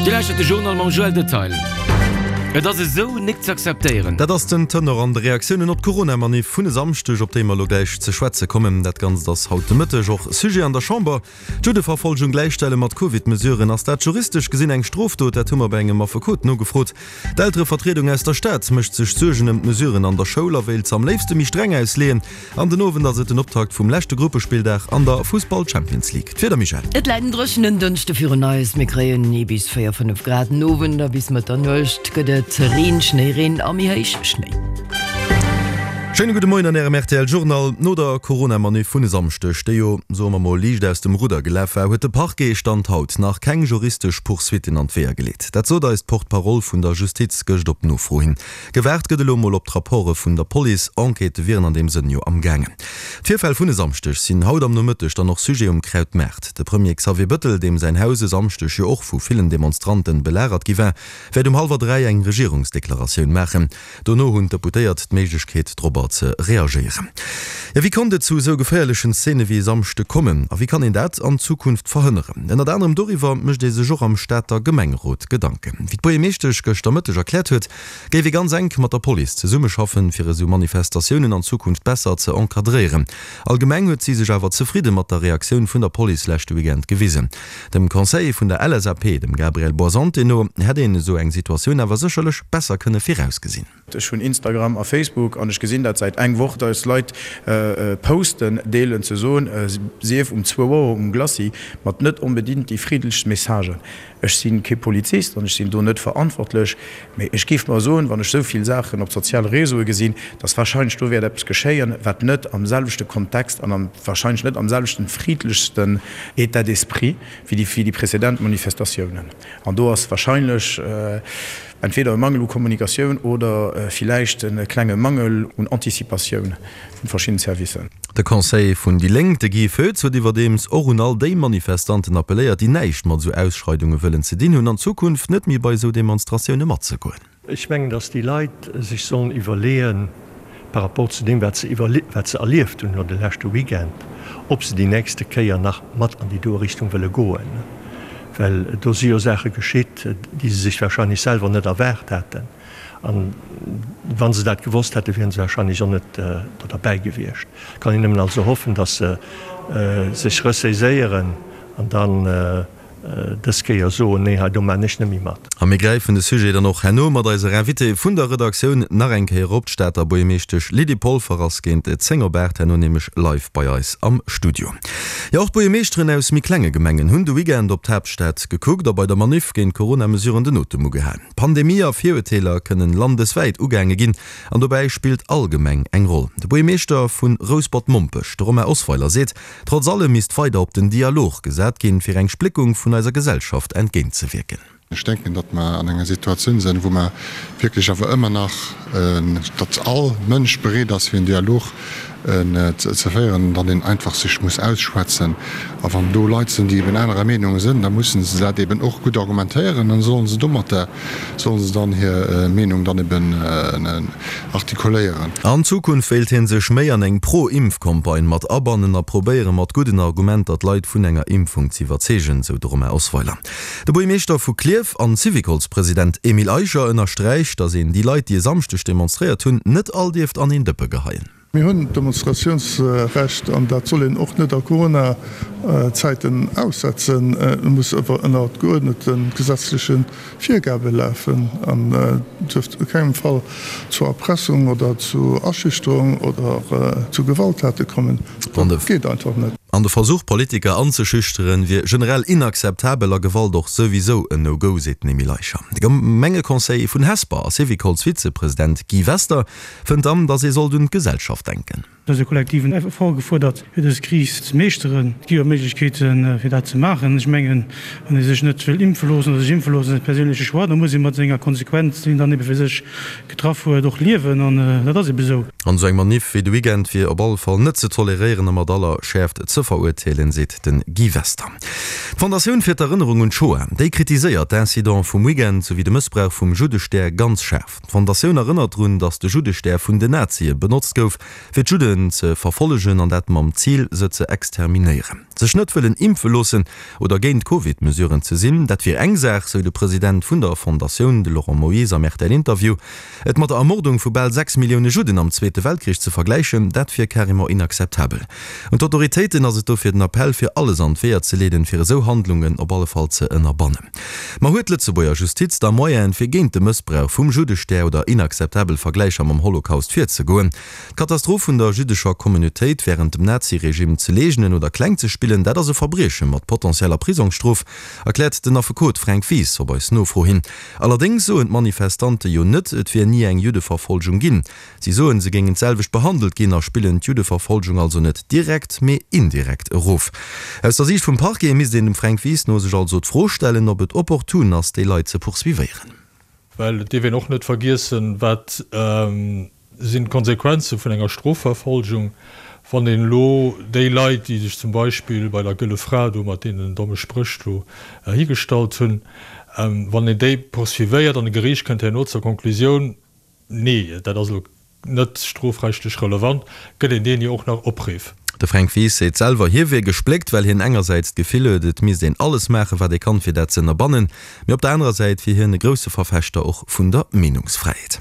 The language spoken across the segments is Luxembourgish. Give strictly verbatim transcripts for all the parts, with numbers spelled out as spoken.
Dir lauschtert de Journal mam Joël Detail. Et ass esou nik z'akzeptéieren. Dat ass den Tenor an de Reaktiounen op d'Corona-Maniff vun e Samschdeg, op déi mer elo gläich ze schwätze kommen. Dat Ganzt ass haut de Mëtteg och Sujet an der Chamber. D'Juddeverfolgung gläichstelle mat Covid-Mesuren, ass dat juristesch gesinn eng Strofdot? Dat hu mer bei engem Affekot nogefrot. D'Elterevertriedung aus der Stad mécht sech Suergen ëm d'Mesuren an der Schoul a wéilt se am léifste méi streng ausleeën. An den Owend ass et den Optakt vum leschte Gruppespilldag an der Fussball-Champions League. D'Wieder, Michèle? Et läit en dréchenen Dënschde virun eis, mir kréien ee bis véier, fënnef Grad. Den Owend a bis Mëtternuecht gëtt et Reen, Schnéireen a méi héich Schnéi. Schéine gudde Moien an Ärem rtl Journal. No der Corona-Maniff vun e Samschdeg, déi jo, soe mer mol, liicht aus dem Rudder gelaf war, huet de Parquet Stand haut nach keng juristesch Poursuitten an d'Weeër geleet. Dat sot eis d'Porte-parole vun der Justiz gëscht op Nofro hin. Gewaart gëtt elo mol op d'Rapporte vun der Police. Enquêtë wieren an deem Sënn jo am gaangen. D'Virfäll vun e Samschdeg sinn haut am Nomëtteg dann och Sujet um Krautmaart. De Premier Xavier Bëttel, deem säin Haus e Samschdeg jo och vu villen Demonstranten belagert gi war, wäert um hallwer dräi eng Regierungsdeklaratioun maachen. Dono hunn d'Deputéiert d'Méiglechkeet dorobber ze reagéieren. Jo, wéi konnt et zu esou geféierlechen Szene wéi e Samschde kommen a wéi kann een dat an Zukunft verhënneren? Ënnert anerem doriwwer mécht ee sech och am Stater Gemengerot Gedanken. Wéi d'Buergermeeschtesch gëschter Mëtteg erkläert huet, géif ee ganz enk mat der Police zesummeschaffen, fir esou Manifestatiounen an Zukunft besser ze encadréieren. Allgemeng huet si sech awer zefridde mat der Reaktioun vun der Police leschte Weekend gewisen. Dem Conseiller vun der L S A P, dem Gabriel Boisante no, hätt een esou eng Situatioun awer sécherlech besser kënne virausgesinn. Ech hunn Instagram a Facebook an ech gesinn dat säit eng Woch, dass Leit Posten deelen ze soen, sief um zwou Auer um Glacis, mat net onbedingt déi friddlechst Messagen. Ech si kee Polizist an ech sinn do net verantwortlech, mee ech géif mer soen, wann ech esou vill Saachen op soziale Réseaue gesinn, dass wahrscheinlech do wäert eppes geschéien, wat net am selwechte Kontext an am wahrscheinlech net am selwechten friddlechsten État d'esprit wéi déi wéi déi präzedent Manifestatiounen. An do ass wahrscheinlech entweder e Mangel u Kommunikatioun oder villäicht e klenge Mangel un Anticipatioun vun verschiddenen Servicen. De Conseiller vun déi Lénk, de Guy Foetz, huet iwwerdeems och un all déi Manifestanten appelléiert, déi näischt mat esou Ausschreidunge wëllen ze dinn hunn, an Zukunft net méi bei esou Demonstratioune matzegoen. Ech mengen, datt déi Leit sech sollen iwwerleeën, par rapport zu deem, wat se wat se erlieft hunn elo de leschte Weekend, ob se déi nächste Kéier nach mat an déi doe Richtung wëlle goen. Well do si jo Saache geschitt, déi se sech wahrscheinlech selwer net erwaart haten. An wa se dat gewosst hätten, wiere se wahrscheinlech och net do derbäi gewiescht. Kann een nëmmen also hoffen, datt se sech ressaiséieren an dann dës Kéier soen, Nee, hei do maan ech net méi mat. A mir gräifen de Sujet dann och herno mat eiser Invitée vun der Redaktioun nach eng Kéier op. D'Stater Buergermeeschtesch Lydie Polfer ass géint zéng op aacht herno nämlech live bei eis am Studio. Jo, och d'Buergermeeschteren aus méi klenge Gemengen hunn de Weekend op d'Haaptstad gekuckt a bei der Maniff géint d'Corona-Mesuren den Otem ugehalen. Pandemie a Virurteeler kënnen landeswäit ugaange ginn an dobäi spillt all Gemeng eng Roll. De Buergermeeschter vu Rouspert-Mompech, de Romain Osweiler, seet, trotz allem misst weider op den Dialog gesat ginn, fir eng Spléckung vun eiser Gesellschaft entgéintzewierken. Ech denken, datt mer an enger Situatioun sinn, wou mer wierklech awer ëmmer nach, datt all Mënsch bereet ass, fir en Dialog ze féieren, datt een einfach sech muss ausschwätzen. A wann do Leit sinn, déi eben anerer Meenung sinn, da mussen se dat eben och gutt argumentéieren an da sollen se domatter, sollen se dann hir Meenung dann eben artikuléieren. An Zukunft wéilt hie sech méi an eng Pro-Impf-Campagne mat abannen a probéiere mat gudden Argumenter d'Leit vun enger Impfung z'iwwerzeegen, sou de Romain Osweiler. De Buergermeeschter vu Klierf an Syvicolspresident Emile Eicher ënnersträicht, datt een déi Leit, déi e Samschdeg demonstréiert hunn, net all dierft an een Dëppe geheien. Mir hunn d'Demonstratiounsrecht an dat soll een och net a Corona-Zäiten aussetzen. Et muss awer ënner geuerdnete gesetzleche Virgabe lafen an duerft a kengem Fall zu Erpressung oder zu Aschüchterung oder zu Gewalttate kommen. Dat geet einfach net. An de Versuch, Politiker anzeschüchteren, wier generell inakzeptabel a Gewalt och souwisou en No-Go, seet den Emile Eicher. De Gemengeconseiller vun Hesper a Syvicols-Vizepresident Guy Wester fënnt dann, datt ee sollt un d'Gesellschaft denken. Et ass e kollektiven Effort gefuerdert, fir dës Kris ze meeschteren. Et gi jo Méiglechkeeten, fir dat ze maachen. Ech mengen, wann ee sech net wëll impfe loossen oder sech impfe loossen, ass e perséinleche Choix. Da muss ee mat senger Konsequenz, déi een dann ebe fir sech getraff huet, och liewen. An dat ass ebe esou. An esou eng Maniff wéi de Weekend wier op alle Fall net ze toleréieren a mat aller Schäerft ze verurteelen, seet de Guy Wester. D'Fondatioun fir d'Erënnerung un d'Shoah, déi kritiséiert d'Incident vum Weekend souwéi de Mëssbrauch vum Juddestär ganz schaarf. D'Fondatioun erënnert drun, datt de Juddestär vun den Nazie benotzt gouf, fir d'Judden ze verfollegen an dat mam Zil, se ze exterminéieren. Sech net wëllen impfe loossen oder géint d'Covid-Mesuren ze sinn, dat wier eng Saach, sou de President vun der Fondatioun, de Laurent Moyse am RTL-Interview. Et mat der Ermordung vu bal sechs Millioune Judden am Zweete Weltkrich ze vergläichen, dat wier carrément inakzeptabel. Un d'Autoritéiten ass et dofir den Appell, fir alles an d'Weeër ze leeden, fir esou Handlungen op alle Fall ze ënnerbannen. Ma huet d'Lëtzebuerger Justiz da Moyenen, fir géint de Mëssbrauch vum Juddestär oder inakzeptabel Vergläicher mam Holocaust virzegoen? D'Katastroph vun der jüddescher Communautéit wärend dem Naziregime ze leegnen oder kleng ze spillen, dat ass e Verbrieche mat potentieller Prisongsstrof, erkläert den Affekot Fränk Wies op eis Nofro hin. Allerdéngs soen d'Manifestante jo net, et wier ni eng Juddeverfolgung ginn. Si soen, se géingen d'selwecht behandelt ginn a spillen d'Juddeverfolgung also net direkt, mee indirekt erof. Aus der Siicht vum Parquet misst een dem Fränk Wies no sech also d'Fro stellen, ob et opportun ass, déi Leit ze poursuivéieren. Well et dierf een och net vergiessen, wat sinn d'Konsequenze vun enger Strofverfolgung, wann een elo déi Leit, déi sech zum Beispill bei der Gëlle Fra do mat deenen domme Spréch do higestallt hunn, wann een déi poursuivéiert an e Geriicht kënnt herno zur Konklusioun, Nee, dat ass elo net strofrechtlech relevant, gëtt een deen jo och nach opriff. De Fränk Wies seet selwer, hie wier gespléckt, well hien engersäits d'Gefill huet, et misst een alles maachen, wat ee kann, fir dat ze ënnerbannen, mee op der anerer Säit wier hien e grousse Verfechter och vun der Meenungsfräiheet.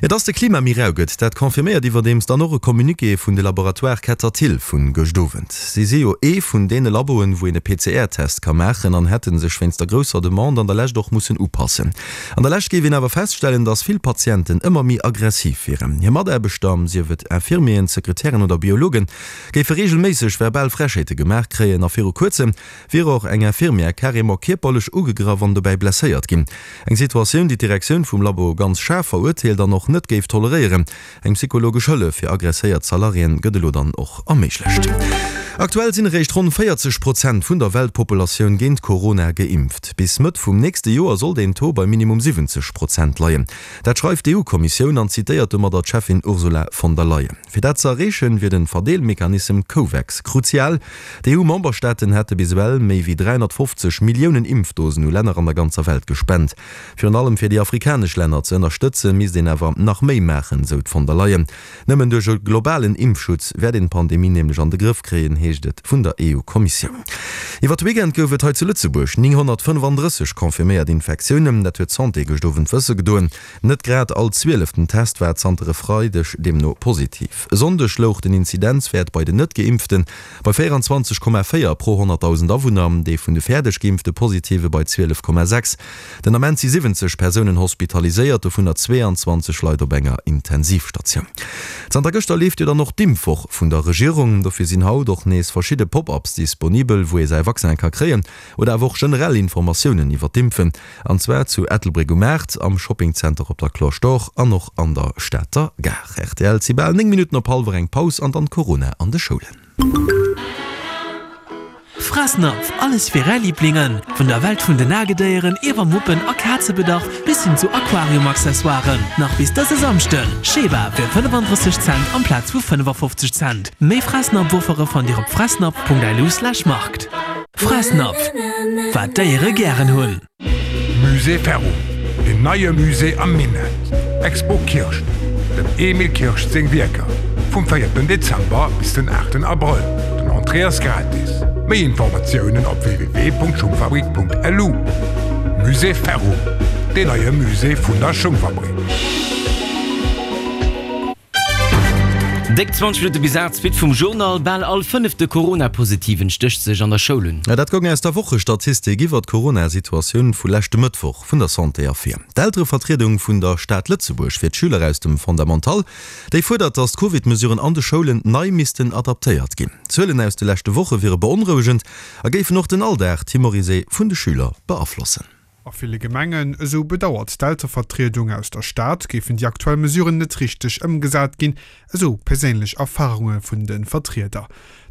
Jo, dass de Klima méi rau gëtt, dat confirméiert iwwerdeems dann och e Communiqué vun de Laboratoire Ketterthill vu gëscht Owend. Si si jo ee vun deene Laboen, wou een e P C R Test ka maachen an hätte sech wéinst der grousser Demande an der Lescht och mussen upassen. An der Lescht géif een awer feststellen, dass vill Patienten ëmmer méi aggressiv wieren. Hir Mataarbechter, sief et Infirmieren, Sekretären oder Biologen, géife reegelméisseg verbal Frechheete gemaach kréien a viru kuerzem wier och eng Infirmière carrément kierperlech ugegraff an dobäi blesséiert ginn. Eng Situatioun, déi d'Direktioun vum Labo ganz schaarf verurteelt an och net géif toleréieren. Eng psychologesch Hëllef fir aggresséiert Salariéen gëtt elo dann och erméiglecht. Aktuell sinn eréischt ronn véierzeg Prozent vun der Weltpopulatioun géint Corona geimpft. Bis Mëtt vum nächste Joer soll deen Taux bei minimum siwwenzeg Prozent leien. Dat schreift d'EU-Kommissioun an zitéiert domadder d'Cheffin Ursula von der Leyen. Fir dat ze erreechen, wier de Verdeelmechanism Covax kruzial. D'EU-Memberstaaten hätte bis ewell méi wéi dräihonnertfofzeg Milliounen Impfdosen u Länner an der ganzer Welt gespent. Virun allem fir déi afrikanesch Länner ze ënnerstëtzen, misst een awer nach méi maachen, sou d'von der Leyen. Nëmmen duerch e globalen Impfschutz wäert een d'Pandemie nämlech an de Grëff kréien, heescht et vun der E U-Kommissioun. Iwwer de Weekend gouf et hei zu Lëtzebuerg nénghonnertfënnefandrësseg confirméiert Infektiounen, dat huet d'Santé gëscht Owend wësse gedoen. Net grad all zwieleften Test war zanter e Freideg deemno positiv. E Sonndeg louch den Inzidenzwäert bei den Net-Geimpfte bei véieranzwanzeg Komma véier pro honnertdausend Awunner, dee vun de fäerdeg geimpfte Positive bei zwielef Komma sechs. Den Ament si siwwenzeg Persounen hospitaliséiert, dovunner zweeanzwanzeg Leit op enger Intensivstatioun. Zanter gëschter leeft jo dann och d'Impfwoch vun der Regierung. Dofir sinn haut och nees verschidde Pop-ups disponibel, wou ee säi Vaccin ka kréien oder awer och generell Informatiounen iwwer d'Impfen. An zwar zu Ettelbréck um Maart, am Shoppingzenter op der Cloche d'Or an och an der Stater Gare. Rtl, Et si bal néng Minutten op hallwer eng. Paus an dann Corona an de Schoulen. Fressnapf, alles fir är Liblingen! Vun der Welt vun den Nagedéieren iwwer Muppen a Kazebedarf bis hin zu Aquarium-Accessoiren. Nach bis dëse Samschden, Sheba fir fënnefandrësseg Cent amplaz vu fënnefafofzeg Cent. Méi Fressnapf-Offere fannt Dir op fressnapf.lu/markt. Fressnapf, wat d'Déiere gären hunn. Musée Ferro, deen neie Musée am Minett, Expo Kirscht, dem Emil Kirscht seng Wierker, vum véierten Dezember bis den aachten Abrëll. Den Entrée ass gratis. Méi Informatiounen op w w w punkt schungfabrik punkt l u. Musée Ferro, deen neie Musée vun der Schungfabrik. Déck zwanzeg Minutte bis aacht, d'Suite vum Journal. Bal all fënnefte Corona-Positiven stécht sech an der Schoul un. Dat goung aus der Wochestatistik iwwer d'Corona-Situatioun vu leschte Mëttwoch vun der Santé ervir. D'Elterevertriedung vun der Stad Lëtzebuerg fir d'Schüler aus dem Fondamental, déi fuerdert, datt d'Covid-Mesuren an de Schoulen nei missten adaptéiert ginn. D'Zuelen aus de leschte Woche wiere beonrouegend a géifen och den Alldag timorisé vun de Schüler beaflossen. A ville Gemengen, esou bedauert d'Elterevertriedung aus der Stad, géifen déi aktuell Mesuren net richteg ëmgesat ginn, esou perséinlech Erfarunge vun de Vertrieder.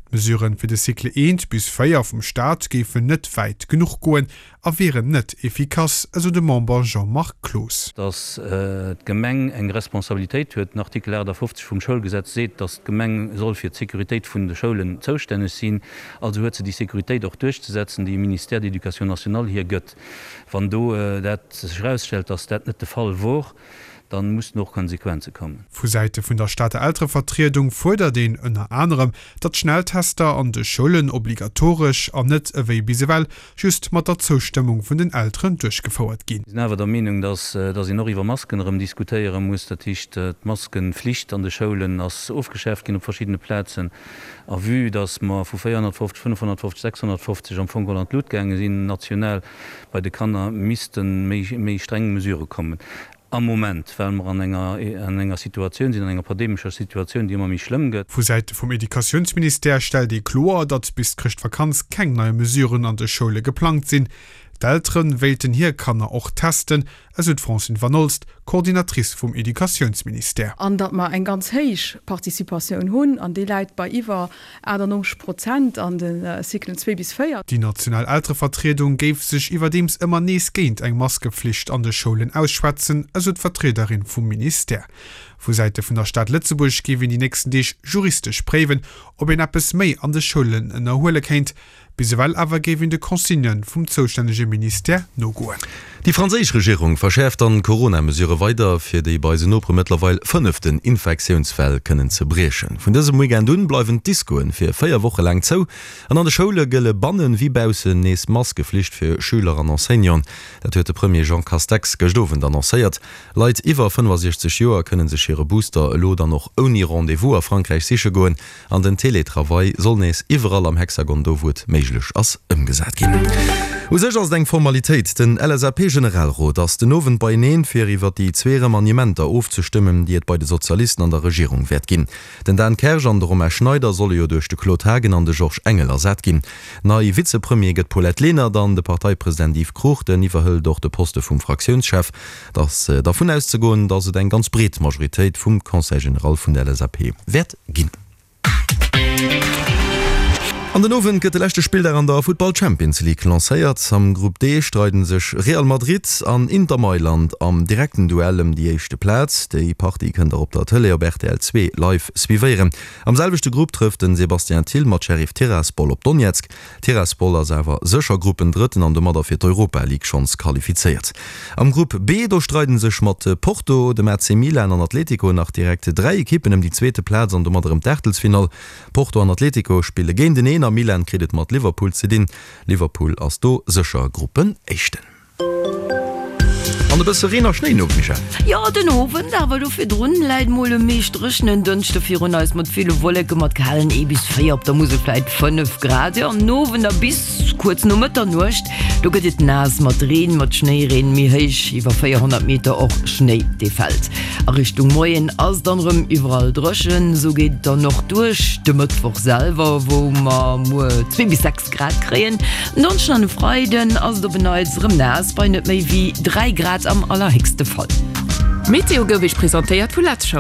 D'Mesuren fir de Cycle eent bis véier vum Staat géifen net wäit genuch goen a wieren net efficace, esou de Member Jean-Marc Cloos. Dass d'Gemeng eng Responsabilitéit huet. Den Artikel achtafofzeg vum Schoulgesetz seet, dass d'Gemeng soll fir d'Sécuritéit vun de Schoulen zoustänneg sinn. Also huet se déi Sécuritéit och duerchzesetzen, déi e Ministère d'éducation nationale hir gëtt. Wann do dat sech erausstellt, dass dat net de Fall wor, dann mussen och Konsequenze kommen. Vu Säite vun der Stater Elterevertriedung fuerdert een ënner anerem, datt Schnelltester an de Schoulen obligatoresch an net ewéi bis ewell just mat der Zoustëmmung vun den Elteren duerchgefouert ginn. Mir sinn awer der Meenung, datt een och iwwer Masken erëm diskutéiere muss. Dat heescht, d'Maskenflicht an de Schoulen ass ofgeschaaft ginn op verschiddene Plazen. A vue datt mer vu véierhonnertfofzeg, fënnefhonnertfofzeg, sechshonnertfofzeg am Fong geholl an d'Lut gaange sinn national bei de Kanner, misste méi streng Mesurë kommen. Am Moment, well mer an enger, an enger Situatioun sinn, an enger pandemescher Situatioun, déi ëmmer méi schlëmm gëtt. Vu Säite vum Educatiounsministère stellt ee kloer, datt bis d'Chrëschtvakanz keng nei Mesuren an de Schoule geplangt sinn. D'Eltere wéilten hir Kanner och testen, esou d'Francine Vanolst, Coordinatrice vum Educatiounsministère. An datt mer eng ganz héich Participatioun hunn, an déi läit bei iwwer achtannonzeg Prozent an de Cyclen zwee bis véier. Déi national Elterevertriedung géif sech iwwerdeems ëmmer nees géint eng Maskeflicht an de Schoulen ausschwätzen, esou d'Vertriederin vum Ministère. Vu Säite vun der Stad Lëtzebuerg géif een déi nächsten Deeg juristesch préiwen, ob een eppes méi an de Schoulen ënnerhuele kéint. Bis ewell awer géif een de Consignë vum zoustännege Ministère nogoen. Déi franséisch Regierung verschäerft dann d'Corona-Mesurë weider, fir déi bei eisen Nopere mëttlerweil fënneften Infektiounswell kënnen ze briechen. Vun dësem Weekend un bleiwen d'Discoen fir véier Woche laang zou an an de Schoule gëlle bannen wéi baussen nees Maskeflicht fir Schüler an Enseignanten. Dat huet de Premier Jean Castex gëscht Owend annoncéiert. Leit iwwer fënnefasiechzeg Joer kënne sech hire Booster elo dann och ouni Rendez-vous a Frankräich siche goen an den Teletravail soll nees iwwerall am Hexagon, do wou et méiglech ass, ëmgesat ginn. U sech ass et eng Formalitéit, Den L S A P-Generalrot ass den Owend beieneen, fir iwwer déi zwee Remaniementer ofzestëmmen, déi et bei de Sozialisten an der Regierung wäert ginn. Den Dan Kersch an de Romain Schneider solle jo duerch de Claude Haagen an de Georges Engel ersat ginn. Nei Vizepremier gëtt d'Paulette Lenert an de Parteipresident Yves Cruchten iwwerhëlt och de Poste vum Fraktiounschef. Et ass dervun auszegoen, datt et eng ganz breet Majoritéit vum Conseil général vun der L S A P wäert ginn. An den Owend gëtt de leschte Spilldag an der Futtball Champions League lancéiert. Am Grupp D streiden sech Real Madrid an Inter Mailand am direkten Duell ëm déi éischte Plaz. Déi Partie kënnt der op der Tëlee op R T L zwee live suivéieren. Am selwechte Grupp trëfft den Sébastien Thill mat Sheriff Tiraspol op Donetsk. Tiraspol ass awer sécher Gruppendrëtten an domadder fir d'Europa League schonns qualifizéiert. Am Grupp B do streiden sech mat Porto, dem A C Milan an Atletico nach direkt dräi Ekippen ëm déi zweete Plaz an domadder ëm d'Aachtelsfinall. Porto an Atletico spille géinteneen a Milan kritt et mat Liverpool ze dinn. Liverpool ass do sécher Gruppenéischten. An e bësse Reen a Schnéi no, Michèle? Jo, den Owend, awer do virdrun läit mol e meescht dréchenen Dënschde virun eis mat ville Wolleke mat kalen ee bis véier, op der Musel vläit fënnef Grad. Jo, am Owend a bis kuerz no Mëtternuecht, do gëtt et naass mat Reen, mat Schnéireen, méi héich iwwer véierhonnert Meter och Schnéi dee fält. A Richtung Moien ass dann erëm iwwerall dréchen, esou geet et dann och duerch de Mëttwoch selwer, wou mer muer zwee bis sechs Grad kréien. En Donneschden an e Freiden ass et op en Neits erëm naass bei net méi wéi dräi Grad am allerhéchste Fall. D'Meteo gouf Iech presentéiert vu Letzshop.